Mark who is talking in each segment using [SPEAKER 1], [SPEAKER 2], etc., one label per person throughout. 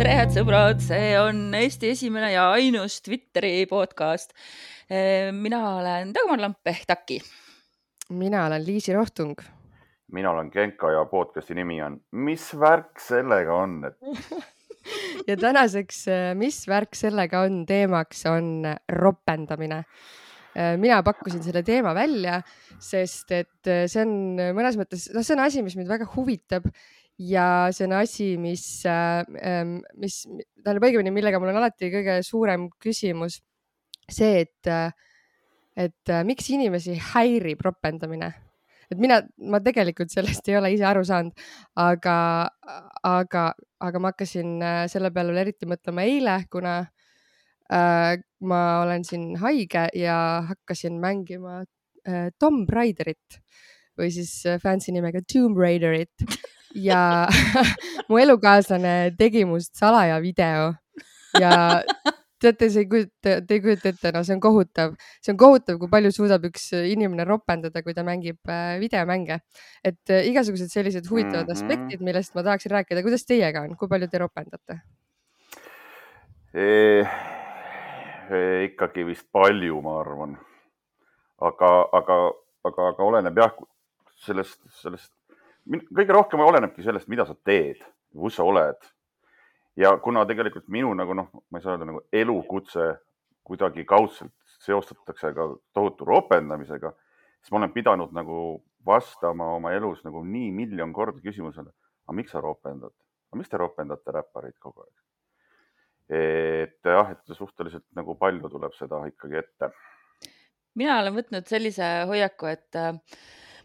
[SPEAKER 1] tere, head sõbrad, see on Eesti esimene ja ainus Twitteri podcast. Mina olen Dagmar Lamp ehk Taki.
[SPEAKER 2] Mina olen Liisi Rohtung.
[SPEAKER 3] Mina olen Genka ja podcasti nimi on Mis värk sellega on?
[SPEAKER 2] Ja tänaseks Mis värk sellega on teemaks on ropendamine. Mina pakkusin selle teema välja, sest et see on mõnes mõttes, see on asi, mis mind väga huvitab ja see on asi, mis tähendab õigemini, millega mul on alati kõige suurem küsimus see, et miks inimesi häirib ropendamine. Et ma tegelikult sellest ei ole ise aru saanud, aga ma hakkasin selle peale eriti mõtlema eile, kuna ma olen siin haige ja hakkasin mängima Tomb Raiderit või siis fancy nimega Tomb Raiderit ja mu elukaaslane tegi must salaja video ja teate, te ei kujuta ette, no see on kohutav. See on kohutav, kui palju suudab üks inimene ropendada, kui ta mängib videomänge. Et igasugused sellised huvitavad aspektid, millest ma tahaksin rääkida. Kuidas teiega on? Kui palju te ropendate?
[SPEAKER 3] Ikkagi vist palju, ma arvan. Aga oleneb jah sellest, kõige rohkem olenebki sellest, mida sa teed, kus sa oled. Ja kuna tegelikult minu ma ei saa öelda elukutse kuidagi kaudselt seostatakse ka tohutu ropendamisega, siis ma olen pidanud vastama oma elus nii miljon korda küsimusele, aga miks sa ropendad? Aga miks te ropendate räpparid kogu aeg? Et suhteliselt palju tuleb seda ikkagi ette.
[SPEAKER 1] Mina olen võtnud sellise hoiaku, et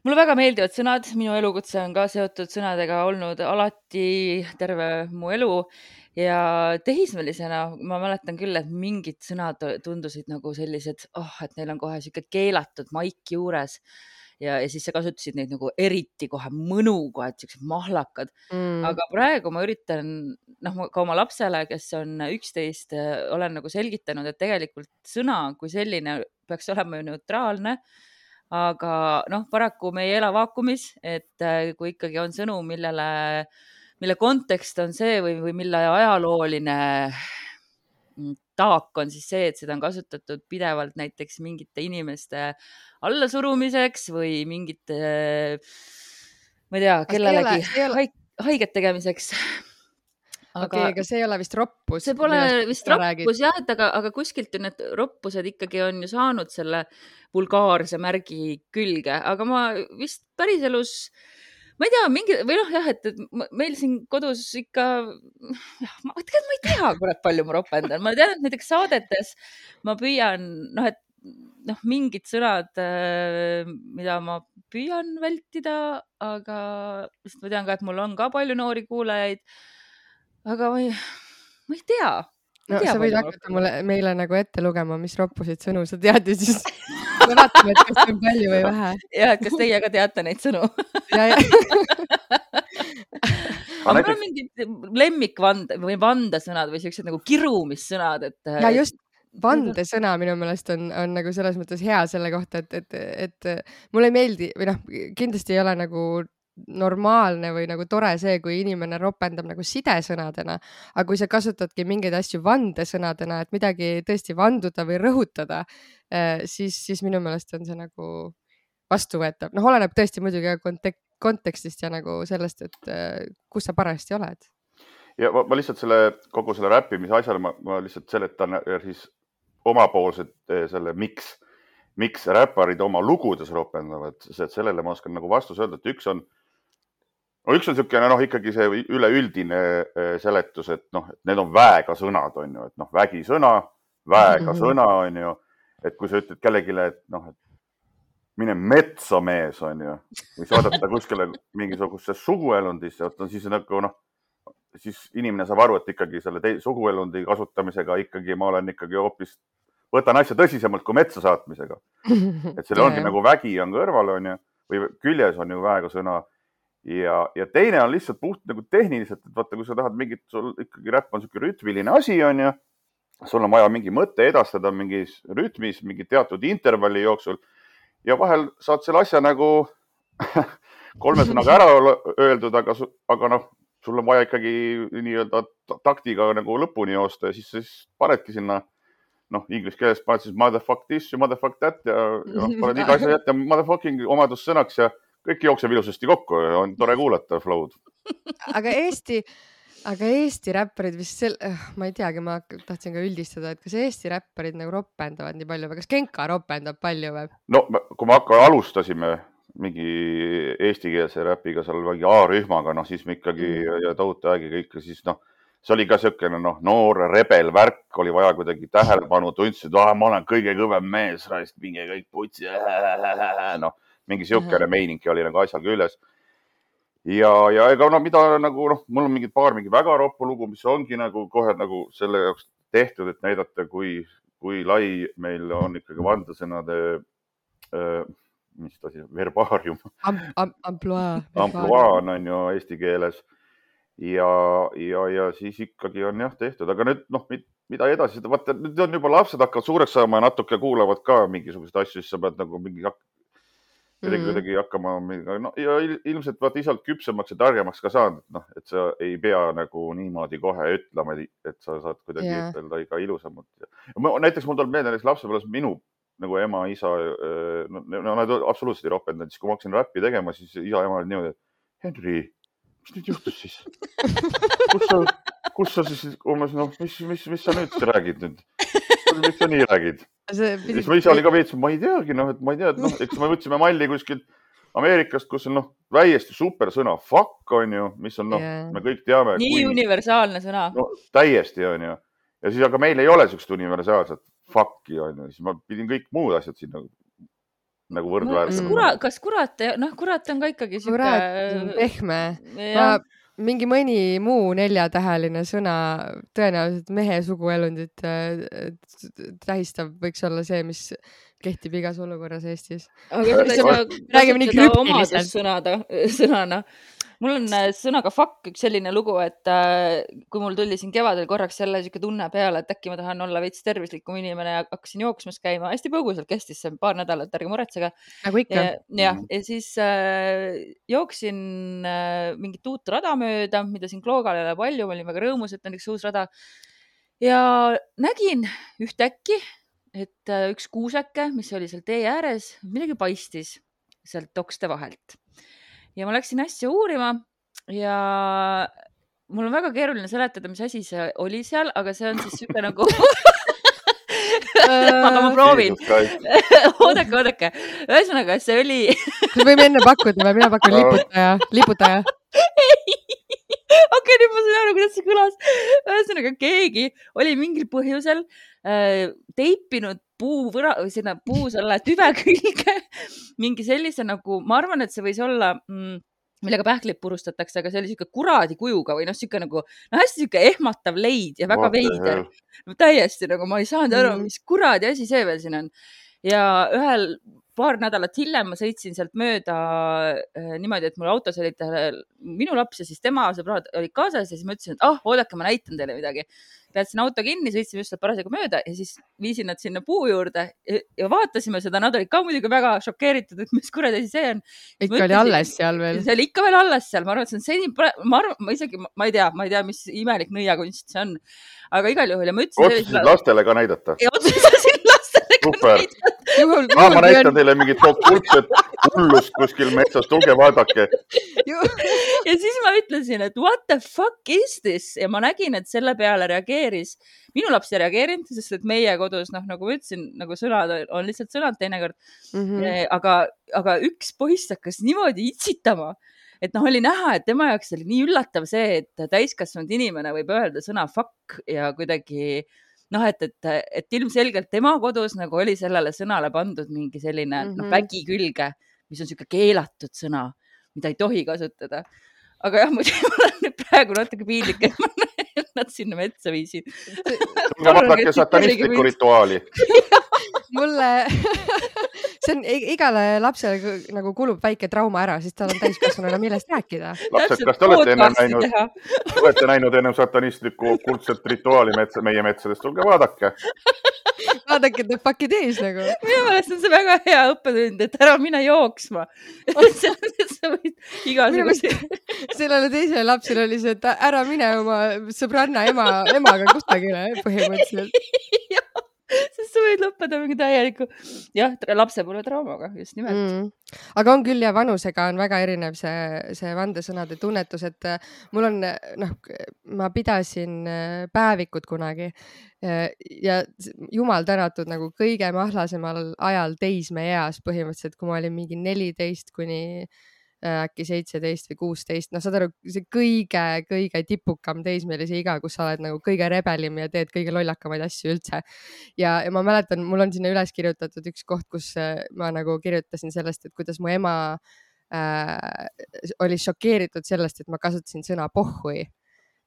[SPEAKER 1] mulle väga meeldivad sõnad, minu elukutse on ka seotud sõnadega olnud alati terve mu elu ja tehismelisena ma mäletan küll, et mingid sõnad tundusid sellised, et neil on kohe siuke keelatud maik juures ja siis sa kasutasid neid eriti kohe mõnuga, et siuksed mahlakad. Aga praegu ma üritan ka oma lapsele, kes on 11, olen selgitanud, et tegelikult sõna kui selline peaks olema ju neutraalne. Aga paraku me ei ela vaakumis, et kui ikkagi on sõnu, mille kontekst on see või mille ajalooline taak on siis see, et seda on kasutatud pidevalt näiteks mingite inimeste allasurumiseks või mingite, ma ei tea, kellelegi haiget tegemiseks.
[SPEAKER 2] Aga see ei ole vist roppus.
[SPEAKER 1] See pole vist roppus jah, aga kuskilt ju need roppused ikkagi on ju saanud selle vulgaarse märgi külge, aga ma vist päriselus, ma ei tea, et meil siin kodus ikka, ma ei tea, kurat palju ma ropendan. Ma tean, et näiteks saadetes ma püüan, et mingid sõnad, mida ma püüan vältida, aga ma tean ka, et mul on ka palju noori kuulajaid. Aga ma ei tea.
[SPEAKER 2] Sa võid hakata meile ette lugema, mis roppusid sõnu sa tead ja siis me vaatame, et kas on palju või vähe.
[SPEAKER 1] Ja, et kas teie ka teate neid sõnu? Aga mul on mingid lemmikvand või vandesõnad või sellised kirumissõnad.
[SPEAKER 2] Ja just vandesõna minu meelest on selles mõttes hea selle kohta, et mulle ei meeldi või kindlasti ei ole normaalne või tore see, kui inimene ropendab sidesõnadena, aga kui sa kasutadki mingeid asju vandesõnadena, et midagi tõesti vanduda või rõhutada, siis minu meelest on see vastuvõetav. Oleneb tõesti muidugi kontekstist ja sellest, et kus sa parajasti oled.
[SPEAKER 3] Ja ma lihtsalt kogu selle räppimise asjale ma lihtsalt seletan siis omapoolset selle miks räpparid oma lugudes ropendavad, sest sellele ma oskan vastus öelda, et üks on siukene ikkagi see üleüldine seletus, et need on väega sõnad, on ju, et vägisõna, väega sõna, on ju, et kui sa ütled kellegile, et mine metsa mees, on ju, või saadata kuskile mingisugusesse suguelundisse, siis inimene saab aru, et ikkagi selle suguelundi kasutamisega ikkagi ma olen ikkagi hoopis, võtan asja tõsisemalt kui metsa saatmisega. Et selle ongi vägi on kõrval, on ju, või küljes on ju väega sõna. Ja teine on lihtsalt puht tehniliselt, et vaata, kui sa tahad sul ikkagi räpp on siuke rütmiline asi, on ju, sul on vaja mingi mõte edastada mingis rütmis, mingi teatud intervalli jooksul ja vahel saad selle asja 3 sõnaga ära öeldud, aga sul on vaja ikkagi nii-öelda taktiga nagu lõpuni joosta ja siis panedki sinna, inglise keeles paned siis motherfuck this ja motherfuck that ja paned iga asja jätta motherfucking omadussõnaks ja kõik jookseb ilusasti kokku ja on tore kuulata flow'd.
[SPEAKER 2] Aga Eesti räpparid vist ma ei teagi, ma tahtsin ka üldistada, et kas Eesti räpparid nagu ropendavad nii palju või kas Genka ropendab palju või?
[SPEAKER 3] No kui me alustasime mingi eestikeelse räpiga seal mingi A-rühmaga, siis me ikkagi ja tohutu ägiga ikka siis see oli ka siukene noor rebel värk, oli vaja kuidagi tähelepanu, tundsid, ma olen kõige kõvem mees, raist, minge kõik putsi, mingi siukene meiningi oli nagu asjal küljes. Ja ega mida nagu, mul on paar väga roppu lugu, mis ongi nagu kohe nagu selle jaoks tehtud, et näidata, kui lai meil on ikkagi vandasõnade, mis ta siis, verbaarium. Ampluaa on ju eesti keeles. Ja siis ikkagi on tehtud, aga nüüd, mida edasi, vaata, nüüd on juba lapsed hakkavad suureks saama ja natuke kuulavad ka mingisugused asju, siis sa pead nagu kuidagi hakkama, ja ilmselt vaata isalt küpsemaks ja targemaks ka saanud, et sa ei pea nagu niimoodi kohe ütlema, et sa saad kuidagi ütelda iga ilusamalt. Näiteks mul tuleb meelde, näiteks lapsepõlves minu nagu ema, isa, nad absoluutselt ei ropendanud, siis kui ma hakkasin räppi tegema, siis isa ja ema olid niimoodi, Henri, mis nüüd juhtus siis? Kus sa siis, mis sa nüüd räägid nüüd? Miks sa nii räägid? Siis ma ise oli ka veits, ma ei teagi, et ma ei tea, et eks me võtsime malli kuskilt Ameerikast, kus on väiesti super sõna fuck on ju, mis on me kõik teame.
[SPEAKER 1] Nii universaalne sõna.
[SPEAKER 3] Täiesti on ju. Ja siis aga meil ei ole sellist universaalset fuck'i on ju, siis ma pidin kõik muud asjad siin nagu võrdväärselt.
[SPEAKER 1] Kas kurat on ka ikkagi siuke...
[SPEAKER 2] Kurat, pehme. Mingi mõni muu 4-täheline sõna tõenäoliselt mehe suguelundit tähistab, võiks olla see, mis kehtib igas olukorras Eestis.
[SPEAKER 1] Aga räägime nii krüptiliselt. Sõnana. Mul on sõnaga fuck üks selline lugu, et kui mul tuli siin kevadel korraks selle siuke tunne peale, et äkki ma tahan olla veits tervislikum inimene ja hakkasin jooksmas käima. Hästi põgusalt kestis see paar nädalat, ärge muretsege.
[SPEAKER 2] Nagu ikka.
[SPEAKER 1] Ja siis jooksin mingit uut rada mööda, mida siin Kloogal ei ole palju, ma olin väga rõõmus, et on üks uus rada. Ja nägin ühtäkki, et üks kuuseke, mis oli seal tee ääres, midagi paistis sealt tokste vahelt. Ja ma läksin asja uurima ja mul on väga keeruline seletada, mis asi see oli seal, aga see on siis siuke nagu... aga ma proovin. Oodake. Ühesõnaga, see oli...
[SPEAKER 2] Võime enne pakkuda või mina pakun liputaja.
[SPEAKER 1] Okei, nüüd ma sain aru, kuidas see kõlas. Ühesõnaga, keegi oli mingil põhjusel teipinud puu selle tüve külge mingi sellise nagu, ma arvan, et see võis olla, millega pähklid purustatakse, aga see oli siuke kuradi kujuga või siuke nagu, hästi siuke ehmatav leid ja väga veider. Täiesti nagu ma ei saanud aru, mis kuradi asi see veel siin on. Ja paar nädalat hiljem ma sõitsin sealt mööda niimoodi, et mul autos olid minu laps ja siis tema sõbrad olid kaasas ja siis ma ütlesin, et oodake, ma näitan teile midagi. Peatsin auto kinni, sõitsime just parasjagu mööda ja siis viisin nad sinna puu juurde ja vaatasime seda. Nad olid ka muidugi väga šokeeritud, et mis kuradi asi see on.
[SPEAKER 2] Ikka oli alles seal veel.
[SPEAKER 1] See oli ikka veel alles seal. Ma arvan, et see on seni, ma ei tea, mis imelik nõiakunst see on. Aga igal juhul ja ma ütlesin...
[SPEAKER 3] Otsusid lastele ka näidata.
[SPEAKER 1] Ja otsusin lastele ka näidata.
[SPEAKER 3] Ma näitan teile mingit kultset hullust kuskil metsas, tulge vaadake.
[SPEAKER 1] Ja siis ma ütlesin, et what the fuck is this? Ja ma nägin, et selle peale reageeris. Minu laps ei reageerinud, sest et meie kodus, nagu ma ütlesin, nagu sõnad on lihtsalt sõnad teinekord. Aga üks poiss hakkas niimoodi itsitama, et oli näha, et tema jaoks oli nii üllatav see, et täiskasvanud inimene võib öelda sõna fuck ja kuidagi... et ilmselgelt tema kodus nagu oli sellele sõnale pandud mingi selline vägi külge, mis on siuke keelatud sõna, mida ei tohi kasutada. Aga jah, mul on praegu natuke piinlik, et ma nad sinna metsa viisin.
[SPEAKER 3] Vaadake satanistlikku rituaali.
[SPEAKER 2] Mulle... See on igale lapsele nagu kulub väike trauma ära, siis tal on täiskasvanuna millest rääkida.
[SPEAKER 3] Lapsed, kas te olete näinud enne satanistlikku kuldset rituaali meie metsadest? Tulge vaadake.
[SPEAKER 2] vaadake the fuck'i tees nagu.
[SPEAKER 1] Minu meelest on see väga hea õppetund, et ära mine jooksma. Sa võid igasugused.
[SPEAKER 2] Sellele teisele lapsele oli see, et ära mine oma sõbranna emaga kusagile põhimõtteliselt.
[SPEAKER 1] Sest sa võid lõppeda mingi täieliku, jah, lapse pole traumaga, just nimelt.
[SPEAKER 2] Aga on küll ja vanusega on väga erinev see vandesõnade tunnetus, et mul on, ma pidasin päevikut kunagi ja jumal tänatud nagu kõige mahlasemal ajal teismeeas põhimõtteliselt, kui ma olin mingi 14 kuni äkki 17 või 16, saad aru, see kõige tipukam teismelise iga, kus sa oled nagu kõige rebelim ja teed kõige lollakamaid asju üldse. Ja ma mäletan, mul on sinna üles kirjutatud üks koht, kus ma nagu kirjutasin sellest, et kuidas mu ema oli šokeeritud sellest, et ma kasutasin sõna pohhui.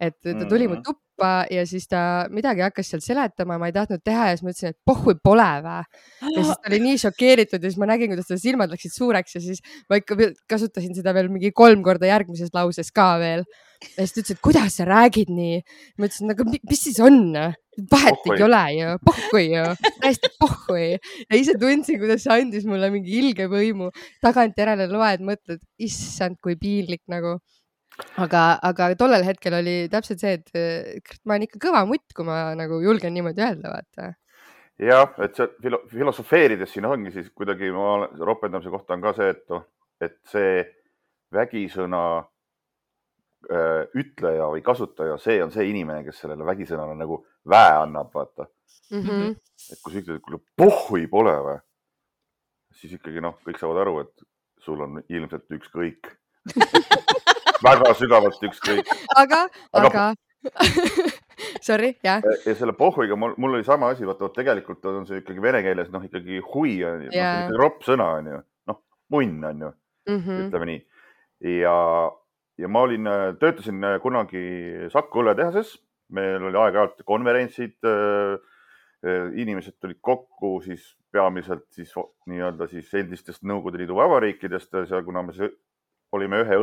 [SPEAKER 2] Et ta tuli mu tuppa ja siis ta midagi hakkas seal seletama, ma ei tahtnud teha ja siis ma ütlesin, et pohhui pole vä. Ja siis ta oli nii šokeeritud ja siis ma nägin, kuidas ta silmad läksid suureks ja siis ma ikka kasutasin seda veel mingi 3 korda järgmises lauses ka veel. Ja siis ta ütles, et kuidas sa räägid nii? Ma ütlesin, aga mis siis on? Vahet ei ole ju, pohhui ju, täiesti pohhui. Ja ise tundsin, kuidas see andis mulle mingi ilge võimu. Tagantjärele loed, mõtled, issand, kui piinlik nagu. Aga tollel hetkel oli täpselt see, et ma olen ikka kõva mutt, kui ma nagu julgen niimoodi öelda, vaata.
[SPEAKER 3] Jah, et see filosofeerides siin ongi siis kuidagi ropendamise kohta on ka see, et see vägisõna ütleja või kasutaja, see on see inimene, kes sellele vägisõnale nagu väe annab, vaata. Et kui sa ütled, et kui pohhui pole või, siis ikkagi kõik saavad aru, et sul on ilmselt ükskõik. Väga sügavalt ükskõik.
[SPEAKER 2] Aga sorry, jah.
[SPEAKER 3] Ja selle pohhuiga mul oli sama asi, vaata, tegelikult on see ikkagi vene keeles, ikkagi hui on ju, ropp sõna on ju, munn on ju, ütleme nii. Ja ma töötasin kunagi Saku õlletehases, meil oli aeg-ajalt konverentsid, inimesed tulid kokku siis peamiselt siis nii-öelda siis endistest Nõukogude Liidu vabariikidest, kuna me olime ühe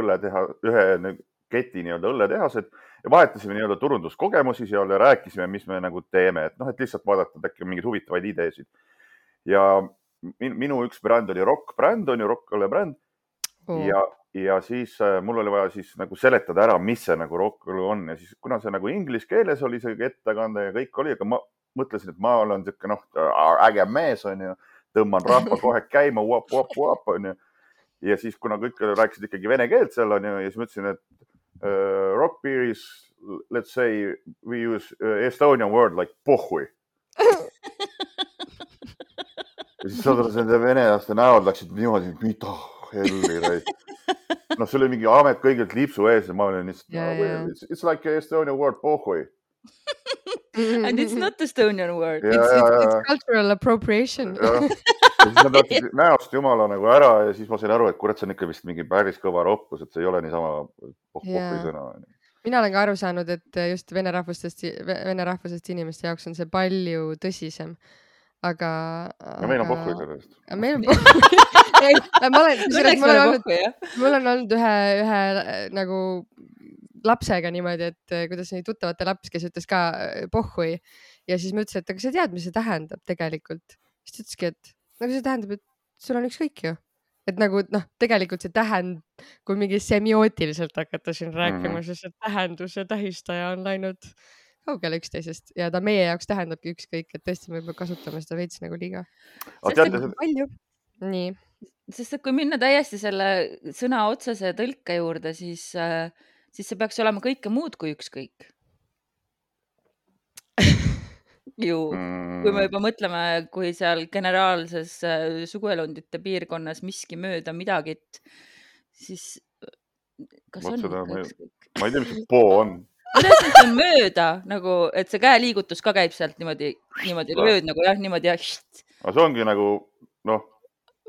[SPEAKER 3] keti nii-öelda õlletehased ja vahetasime nii-öelda turunduskogemusi seal ja rääkisime, mis me nagu teeme, et lihtsalt vaadata äkki mingeid huvitavaid ideesid. Ja minu üks bränd oli rock-bränd, on ju, rock-õlle-bränd. Ja siis mul oli vaja siis nagu seletada ära, mis see nagu rock-õlle on ja siis kuna see nagu inglise keeles oli see ettekande ja kõik oli, aga ma mõtlesin, et ma olen siuke äge mees, on ju, tõmban rahva kohe käima, wap, on ju. Ja siis, kuna kõik rääkisid ikkagi vene keelt seal on ju, ja siis mõtlesin, et rock beer is, let's say, we use Estonian word like pohhui. Ja siis saadades nende venelaste näod läksid niimoodi, mida helli. See oli mingi amet kõigilt lipsu ees ja ma olin lihtsalt, it's like Estonian word pohhui.
[SPEAKER 1] And it's not Estonian word.
[SPEAKER 2] It's cultural appropriation.
[SPEAKER 3] Ja siis nad läksid näost jumala nagu ära ja siis ma sain aru, et kurat, see on ikka vist mingi päris kõva roppus, et see ei ole niisama pohhui sõna.
[SPEAKER 2] Mina olen ka aru saanud, et just vene rahvusest inimeste jaoks on see palju tõsisem. Aga
[SPEAKER 3] meil on pohhui sellest.
[SPEAKER 2] Meil on pohhui. Mul on olnud ühe nagu lapsega niimoodi, et kuidas nii tuttavate laps, kes ütles ka pohhui ja siis ma ütlesin, et aga sa tead, mis see tähendab tegelikult. Siis ta ütleski, et nagu see tähendab, et sul on ükskõik ju. Et nagu tegelikult see kui mingi semiootiliselt hakata siin rääkima, siis see tähendus ja tähistaja on läinud kaugele üksteisest ja ta meie jaoks tähendabki ükskõik, et tõesti me kasutame seda veits nagu liiga. Palju. Nii.
[SPEAKER 1] Sest et kui minna täiesti selle sõna otsese tõlke juurde, siis see peaks olema kõike muud kui ükskõik. Ju, kui me juba mõtleme, kui seal generaalses suguelundite piirkonnas miski mööda midagit, siis kas on ikka ükskõik?
[SPEAKER 3] Ma ei tea, mis see poo on.
[SPEAKER 1] Kuidas see on mööda, nagu, et see käeliigutus ka käib sealt niimoodi lööd nagu jah, niimoodi ja
[SPEAKER 3] aga see ongi nagu,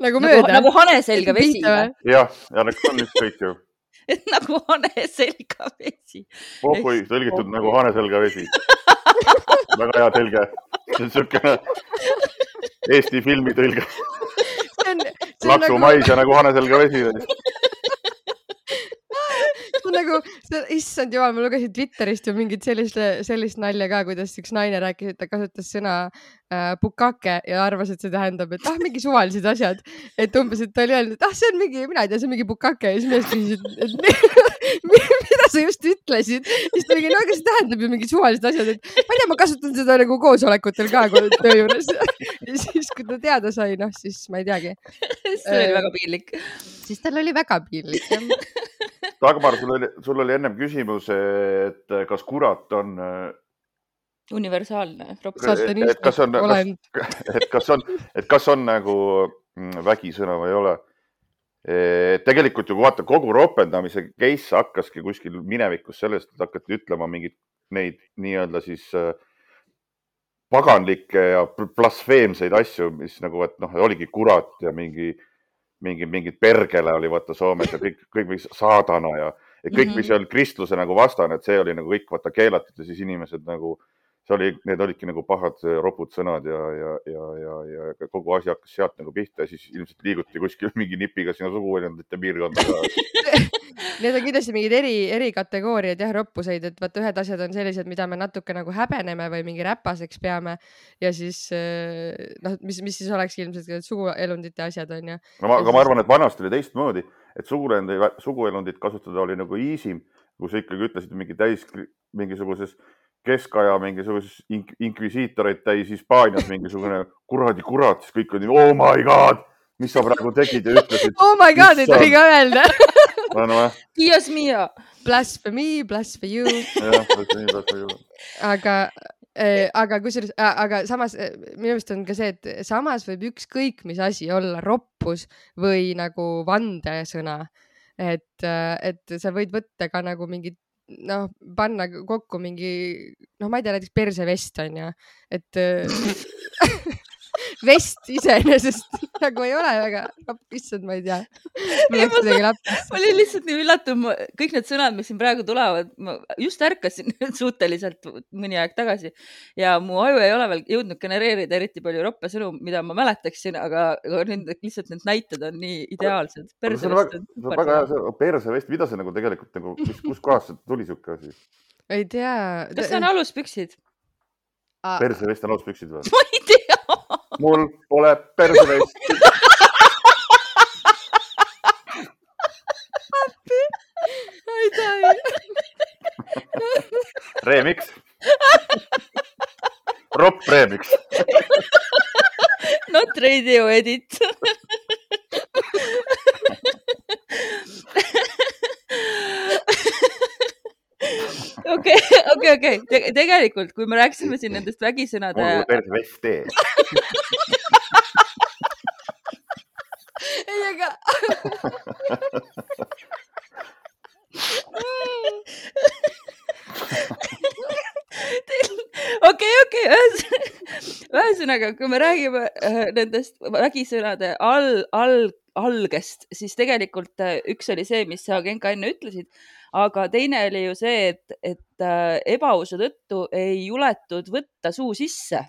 [SPEAKER 2] nagu mööda.
[SPEAKER 1] Nagu hane selga vesi.
[SPEAKER 3] Jah, on ükskõik ju.
[SPEAKER 1] Nagu hane selga vesi.
[SPEAKER 3] Pohhui tõlgitud nagu hane selga vesi. Väga hea tõlge. See on siukene Eesti filmi tõlge. Laksu mais ja nagu hane selga vesi.
[SPEAKER 2] issand jumal, ma lugesin Twitterist ju mingit sellist nalja ka, kuidas üks naine rääkis, et ta kasutas sõna bukake ja arvas, et see tähendab, et mingi suvalised asjad. Et umbes, et ta oli öelnud, et see on mingi, mina ei tea, see on mingi bukake ja siis mees küsisid, et mida sa just ütlesid. Siis ta mingi, no aga see tähendab ju mingi suvalised asjad, et ma ei tea, ma kasutan seda nagu koosolekutel ka töö juures. Ja siis, kui ta teada sai, siis ma ei teagi.
[SPEAKER 1] See oli väga piinlik.
[SPEAKER 2] Siis tal oli väga piinlik, jah.
[SPEAKER 3] Dagmar, sul oli ennem küsimus, et kas kurat on
[SPEAKER 1] universaalne.
[SPEAKER 3] Kas on nagu vägisõna või ei ole. Tegelikult ju vaata, kogu ropendamise case hakkaski kuskil minevikus sellest, et hakati ütlema mingid neid nii-öelda siis paganlikke ja blasfeemseid asju, mis nagu, et oligi kurat ja mingid pergele oli vaata Soomes ja kõik mis saadana ja kõik, mis oli kristluse nagu vastane, et see oli nagu kõik vaata keelatud ja siis inimesed nagu, need olidki nagu pahad ropud sõnad ja kogu asi hakkas sealt nagu pihta ja siis ilmselt liiguti kuskil mingi nipiga sinna suguelundite piirkonda.
[SPEAKER 2] Need on kindlasti mingid eri kategooriad jah, roppuseid, et vaata ühed asjad on sellised, mida me natuke nagu häbeneme või mingi räpaseks peame ja siis mis siis oleks ilmselt suguelundite asjad on ju.
[SPEAKER 3] Aga ma arvan, et vanasti oli teistmoodi, et suguelundit kasutada oli nagu easy, kui sa ikkagi ütlesid mingisuguses keskaja mingisuguses inkvisiitoreid täis Hispaanias mingisugune kuradi kurat, siis kõik oli, oh my god, mis sa praegu tegid ja ütlesid.
[SPEAKER 2] Oh my god, ei tohi ka öelda.
[SPEAKER 1] Dios mio.
[SPEAKER 2] Blasphemy, blasphemy. Aga kusjuures, aga samas minu meelest on ka see, et samas võib ükskõik mis asi olla roppus või nagu vandesõna, et sa võid võtta ka nagu mingid panna kokku mingi, ma ei tea, näiteks persevest on ju, et vest iseenesest nagu ei ole väga, issand, ma ei tea.
[SPEAKER 1] Ma olin lihtsalt nii üllatunud, kõik need sõnad, mis siin praegu tulevad, ma just ärkasin suhteliselt mõni aeg tagasi ja mu aju ei ole veel jõudnud genereerida eriti palju roppe sõnu, mida ma mäletaksin, aga lihtsalt need näited on nii ideaalsed.
[SPEAKER 3] See on väga hea, persevest, mida see nagu tegelikult, kus kohas see tuli siuke asi?
[SPEAKER 2] Ei tea.
[SPEAKER 1] Kas see on aluspüksid?
[SPEAKER 3] Persevest on aluspüksid või?
[SPEAKER 1] Ma ei tea.
[SPEAKER 3] Mul pole persevest.
[SPEAKER 2] Ei tea.
[SPEAKER 3] Remix. Ropp remix.
[SPEAKER 1] Not radio edit. Okei. Tegelikult, kui me rääkisime siin nendest vägisõnade...
[SPEAKER 3] Mul persevest tee.
[SPEAKER 2] Ei, aga...
[SPEAKER 1] Okei. Ühesõnaga, kui me räägime nendest vägisõnade algest, siis tegelikult üks oli see, mis sa Genka enne ütlesid, aga teine oli ju see, et ebausu tõttu ei juletud võtta suu sisse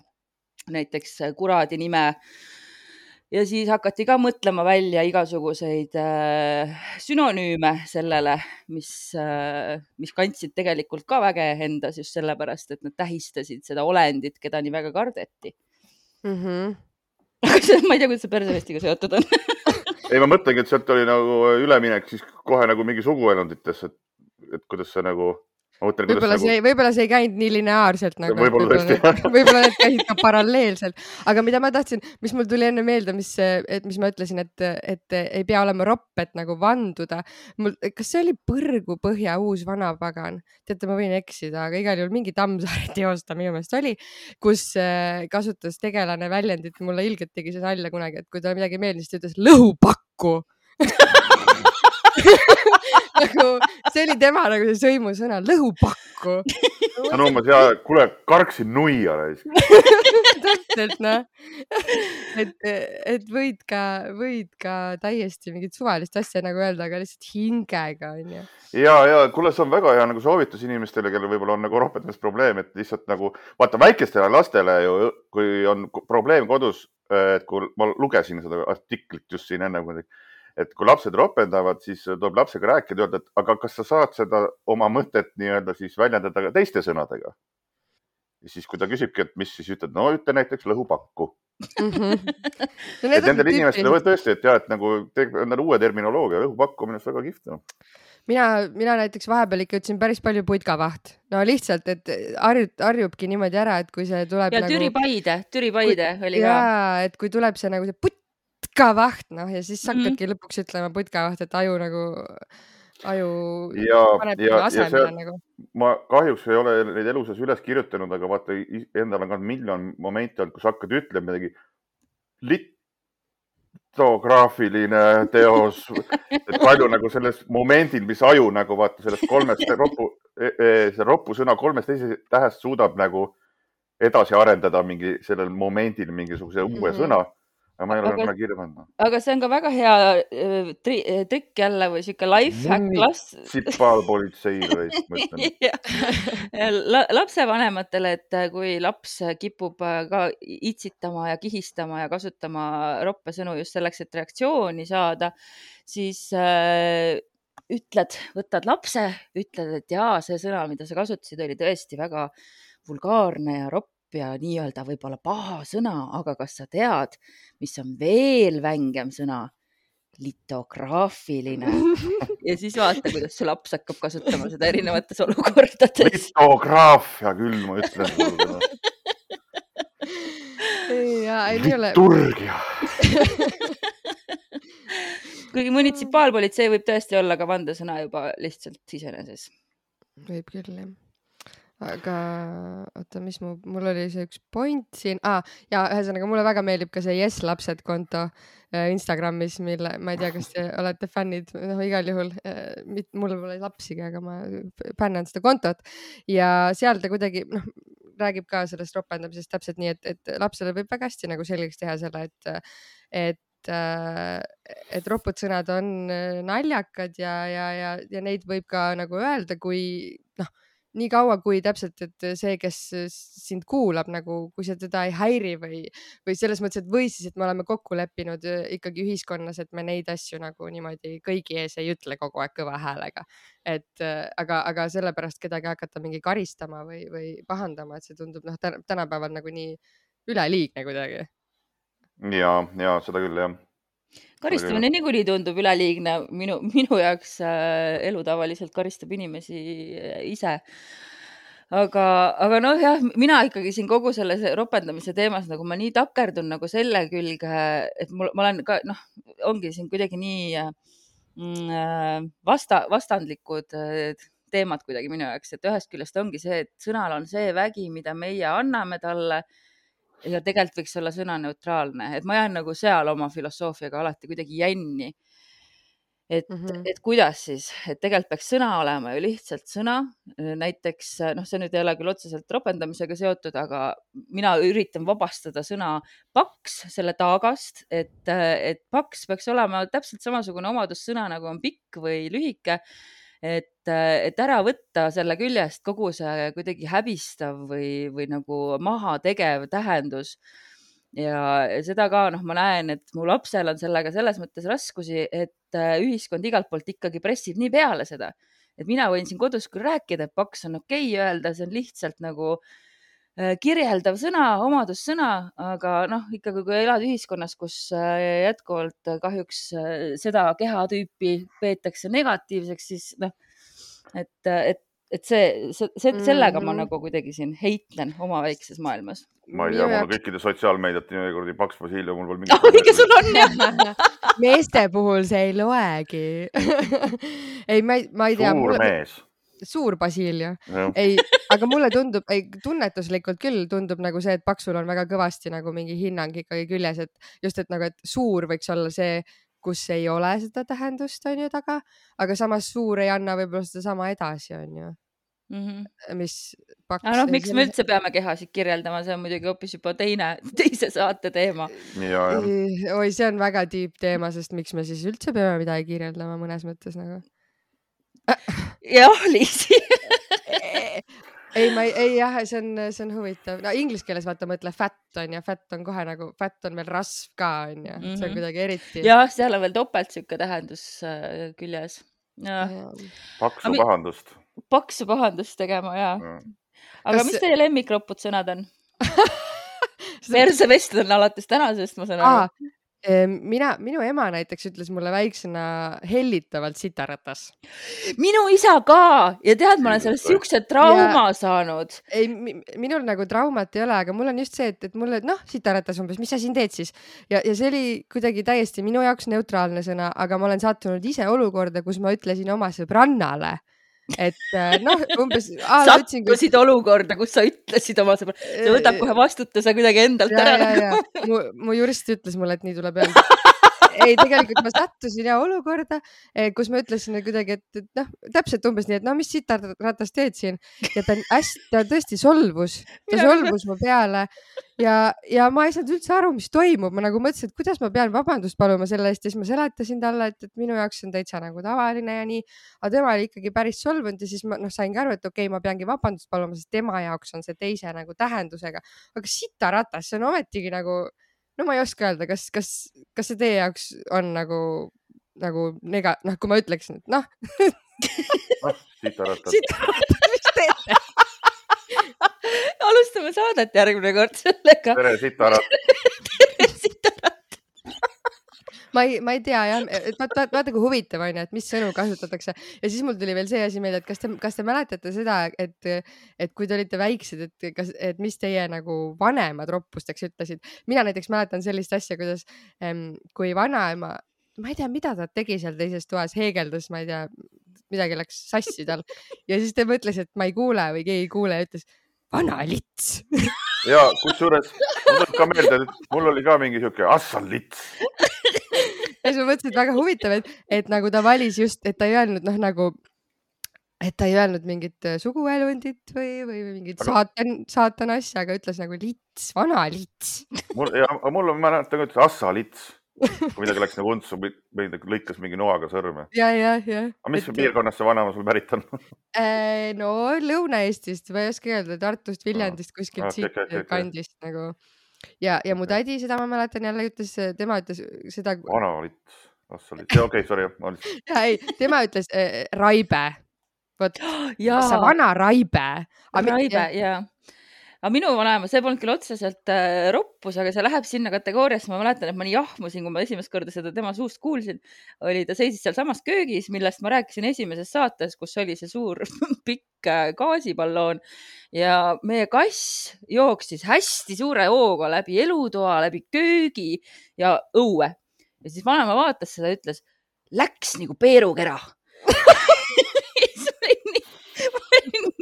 [SPEAKER 1] näiteks kuradi nime. Ja siis hakati ka mõtlema välja igasuguseid sünonüüme sellele, mis kandsid tegelikult ka väge endas just sellepärast, et nad tähistasid seda olendit, keda nii väga kardeti. Ma ei tea, kuidas see persevestiga seotud on.
[SPEAKER 3] Ei, ma mõtlengi, et sealt oli nagu üleminek siis kohe nagu mingi suguelunditesse, et kuidas see nagu...
[SPEAKER 2] Võib-olla see ei käinud nii lineaarselt nagu. Võib-olla need käisid ka paralleelselt. Aga mida ma tahtsin, mis mul tuli enne meelde, mis ma ütlesin, et ei pea olema ropp, et nagu vanduda. Kas see oli Põrgu Põhja uus vanapagan? Teate, ma võin eksida, aga igal juhul mingi Tammsaare teosta minu meelest oli, kus kasutas tegelane väljendit. Mulle ilgelt tegi see nalja kunagi, et kui ta midagi meeldis, ta ütles lõhupakku. Nagu, see oli tema nagu see sõimusõna, lõhupakku.
[SPEAKER 3] No umbes, kuule, karksin nuia.
[SPEAKER 2] Täpselt, et võid ka täiesti mingit suvalist asja nagu öelda, aga lihtsalt hingega on ju.
[SPEAKER 3] Ja, kuule, see on väga hea nagu soovitus inimestele, kellel võib-olla on nagu rohpetmes probleem, et lihtsalt nagu, vaata väikestele lastele ju, kui on probleem kodus, et kui ma lugesin seda artiklit just siin enne, et kui lapsed ropendavad, siis tuleb lapsega rääkida, öelda, et aga kas sa saad seda oma mõtet nii-öelda siis väljendada ka teiste sõnadega? Ja siis, kui ta küsibki, et mis siis ütled, no ütle näiteks lõhupakku. Et nendel inimestel või tõesti, et jah, et nagu uue terminoloogia, lõhupakku on minust väga kihvt.
[SPEAKER 2] Mina näiteks vahepeal ikka ütlesin päris palju putkavaht. No lihtsalt, et harjubki niimoodi ära, et kui see tuleb
[SPEAKER 1] ja
[SPEAKER 2] nagu...
[SPEAKER 1] Türipaide oli ka.
[SPEAKER 2] Jaa, et kui tuleb see nagu see putkavaht, noh, ja siis hakkadki lõpuks ütlema putkavaht, et aju paneb asemele nagu.
[SPEAKER 3] Ma kahjuks ei ole neid eluses üles kirjutanud, aga vaata, endal on ka miljon momenti olnud, kus hakkad ütlema midagi litograafiline teos, et palju nagu selles momendil, mis aju nagu vaata sellest see roppu sõna 3 tähest suudab nagu edasi arendada sellel momendil mingisuguse uue sõna. Aga ma ei ole kunagi kirja pannud.
[SPEAKER 1] Aga see on ka väga hea trikk jälle või siuke lifehack
[SPEAKER 3] munitsipaalpolitseile, ma
[SPEAKER 1] ütlen. Lapsevanematele, et kui laps kipub ka itsitama ja kihistama ja kasutama roppesõnu just selleks, et reaktsiooni saada, siis võtad lapse, ütled, et jaa, see sõna, mida sa kasutasid, oli tõesti väga vulgaarne ja ropp ja nii-öelda võib-olla paha sõna, aga kas sa tead, mis on veel vängem sõna? Litograafiline. Ja siis vaata, kuidas see laps hakkab kasutama seda erinevates olukordades.
[SPEAKER 3] Litograafia küll, ma ütlen. Liturgia.
[SPEAKER 1] Kuigi munitsipaalpolitsei võib tõesti olla ka vandesõna juba lihtsalt iseeneses.
[SPEAKER 2] Võib küll, jah. Aga oota, mis mul oli see üks point siin. Ja ühesõnaga, mulle väga meeldib ka see Yes Lapsed konto Instagramis, mille, ma ei tea, kas te olete fännid, igal juhul, mulle pole lapsigi, aga ma fännan seda kontot ja seal ta kuidagi, räägib ka sellest ropendamisest täpselt nii, et lapsele võib väga hästi nagu selgeks teha selle, et ropud sõnad on naljakad ja neid võib ka nagu öelda, kui nii kaua, kui täpselt, et see, kes sind kuulab, nagu, kui see teda ei häiri või selles mõttes, et või siis, et me oleme kokku leppinud ikkagi ühiskonnas, et me neid asju nagu niimoodi kõigi ees ei ütle kogu aeg kõva häälega. Aga sellepärast kedagi hakata mingi karistama või pahandama, et see tundub tänapäeval nagu nii üleliigne kuidagi.
[SPEAKER 3] Ja seda küll, jah.
[SPEAKER 1] Karistamine niikuinii tundub üleliigne. Minu jaoks elu tavaliselt karistab inimesi ise. Aga jah, mina ikkagi siin kogu selle ropendamise teemas, nagu ma nii takerdun nagu selle külge, et ma olen ka, ongi siin kuidagi nii vastandlikud teemad kuidagi minu jaoks, et ühest küljest ongi see, et sõnal on see vägi, mida meie anname talle, ja tegelikult võiks olla sõna neutraalne, et ma jään nagu seal oma filosoofiaga alati kuidagi jänni. Et kuidas siis, et tegelikult peaks sõna olema ju lihtsalt sõna, näiteks, see nüüd ei ole küll otseselt ropendamisega seotud, aga mina üritan vabastada sõna paks selle taagast, et paks peaks olema täpselt samasugune omadussõna, nagu on pikk või lühike, et ära võtta selle küljest kogu see kuidagi häbistav või nagu maha tegev tähendus. Ja seda ka, ma näen, et mu lapsel on sellega selles mõttes raskusi, et ühiskond igalt poolt ikkagi pressib nii peale seda. Et mina võin siin kodus küll rääkida, et paks on okei öelda, see on lihtsalt nagu kirjeldav sõna, omadussõna, aga ikkagi kui elad ühiskonnas, kus jätkuvalt kahjuks seda kehatüüpi peetakse negatiivseks, siis et sellega ma nagu kuidagi siin heitlen oma väikses maailmas.
[SPEAKER 3] Ma ei tea, mul on kõikide sotsiaalmeediat nii paks Vasilia, mul pole
[SPEAKER 1] mingi sul on jah.
[SPEAKER 2] Meeste puhul see ei loegi. Ei, ma ei tea.
[SPEAKER 3] Suur mees.
[SPEAKER 2] Suur Basilia. Ei, aga mulle tundub, tunnetuslikult küll tundub nagu see, et paksul on väga kõvasti nagu mingi hinnang ikkagi küljes, et just, et nagu, et suur võiks olla see, kus ei ole seda tähendust, on ju taga, aga samas suur ei anna võib-olla seda sama edasi, on ju. Mis paks...
[SPEAKER 1] miks me üldse peame kehasid kirjeldama, see on muidugi hoopis juba teise saate teema.
[SPEAKER 2] Oi, see on väga deep teema, sest miks me siis üldse peame midagi kirjeldama mõnes mõttes nagu?
[SPEAKER 1] Jah, Liisi.
[SPEAKER 2] ei jah, see on huvitav. No inglise keeles vaata mõtle fat on ja fat on kohe nagu, fat on veel rasv ka on ja see on kuidagi eriti.
[SPEAKER 1] jah, seal on veel topelt siuke tähendus küljes.
[SPEAKER 3] Paksu pahandust.
[SPEAKER 1] Paksu pahandust tegema, jaa. Aga mis teie lemmikroputsõnad on? Perse vestled on alates tänasest, ma saan aru.
[SPEAKER 2] Minu ema näiteks ütles mulle väiksena hellitavalt sitaratas.
[SPEAKER 1] Minu isa ka ja tead, ma olen sellest siukse trauma saanud.
[SPEAKER 2] Ei, minul nagu traumat ei ole, aga mul on just see, et mulle, sitaratas umbes, mis sa siin teed siis? Ja see oli kuidagi täiesti minu jaoks neutraalne sõna, aga ma olen sattunud ise olukorda, kus ma ütlesin oma sõbrannale, et umbes
[SPEAKER 1] sattusid olukorda, kus sa ütlesid oma sõbra, see võtab kohe vastutuse kuidagi endalt ära.
[SPEAKER 2] Mu jurist ütles mulle, et nii tuleb öelda. Ei, tegelikult ma sattusin olukorda, kus ma ütlesin kuidagi, et täpselt umbes nii, et mis sitaratas teed siin ja ta tõesti solvus mu peale ja ma ei saanud üldse aru, mis toimub. Ma nagu mõtlesin, et kuidas ma pean vabandust paluma selle eest ja siis ma seletasin talle, et minu jaoks on täitsa nagu tavaline ja nii, aga tema oli ikkagi päris solvunud ja siis ma saingi aru, et okei, ma peangi vabandust paluma, sest tema jaoks on see teise nagu tähendusega, aga sitaratas, see on ometigi nagu ma ei oska öelda, kas see teie jaoks on nagu kui ma ütleksin, et
[SPEAKER 3] Sitaratas,
[SPEAKER 2] mis teete?
[SPEAKER 1] Alustame saadet järgmine kord sellega.
[SPEAKER 3] Tere sitaratas.
[SPEAKER 1] Tere sitaratas.
[SPEAKER 2] Ma ei tea jah, vaata kui huvitav on, et mis sõnu kasutatakse ja siis mul tuli veel see asi meelde, et kas te mäletate seda, et kui te olite väiksed, et mis teie nagu vanemad roppusteks ütlesid. Mina näiteks mäletan sellist asja, kuidas kui vanaema, ma ei tea, mida ta tegi seal teises toas, heegeldas, ma ei tea, midagi läks sassi tal ja siis ta mõtles, et ma ei kuule või keegi ei kuule ja ütles vana lits.
[SPEAKER 3] Ja kusjuures mul ka meelde, et mul oli ka mingi siuke assal lits.
[SPEAKER 2] Ja siis ma mõtlesin, et väga huvitav, et nagu ta valis just, et ta ei öelnud et ta ei öelnud mingit suguelundit või mingit saatan asja, aga ütles nagu lits, vana lits.
[SPEAKER 3] Mul on, ma näen, et ta assa lits. Kui midagi läks nagu untsu, või lõikas mingi noaga sõrme.
[SPEAKER 2] Ja.
[SPEAKER 3] Aga mis piirkonnast see vanema sul pärit on?
[SPEAKER 2] No Lõuna-Eestist, ma ei oska öelda, Tartust, Viljandist, kuskilt siit kandist nagu. Ja mu tädi, seda ma mäletan jälle tema ütles seda.
[SPEAKER 3] Vana lits, assa lits. Okei, sorry.
[SPEAKER 2] Ja ei, tema ütles raibe. Võt, sa vana raibe.
[SPEAKER 1] Raibe, jaa. Aga minu vanaema, see polnud küll otseselt roppus, aga see läheb sinna kategooriasse. Ma mäletan, et ma nii jahmusin, kui ma esimest korda seda tema suust kuulsin. Ta seisis seal samas köögis, millest ma rääkisin esimeses saates, kus oli see suur pikk gaasiballoon ja meie kass jooksis hästi suure hooga läbi elutoa, läbi köögi ja õue. Ja siis vanaema vaatas seda ja ütles, läks nagu peerukera.